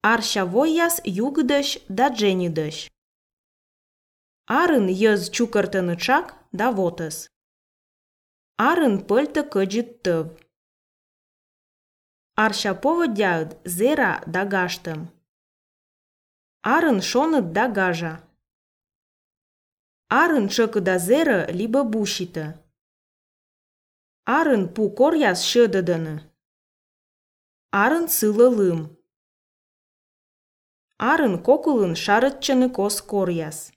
Арщавойяс югдыш да дженидыш. Арын йыз чукыртынычак да вотыс. Арын пыльты кыджит тыв. Арща поводяыд зера да гаштым. Арын шоныт да гажа. Арын чыкы да зеры либо бушиты. Арын пу коряс шыдыдыны. Арын сылы лым. Арын кокулын шарытчыны кос коряс.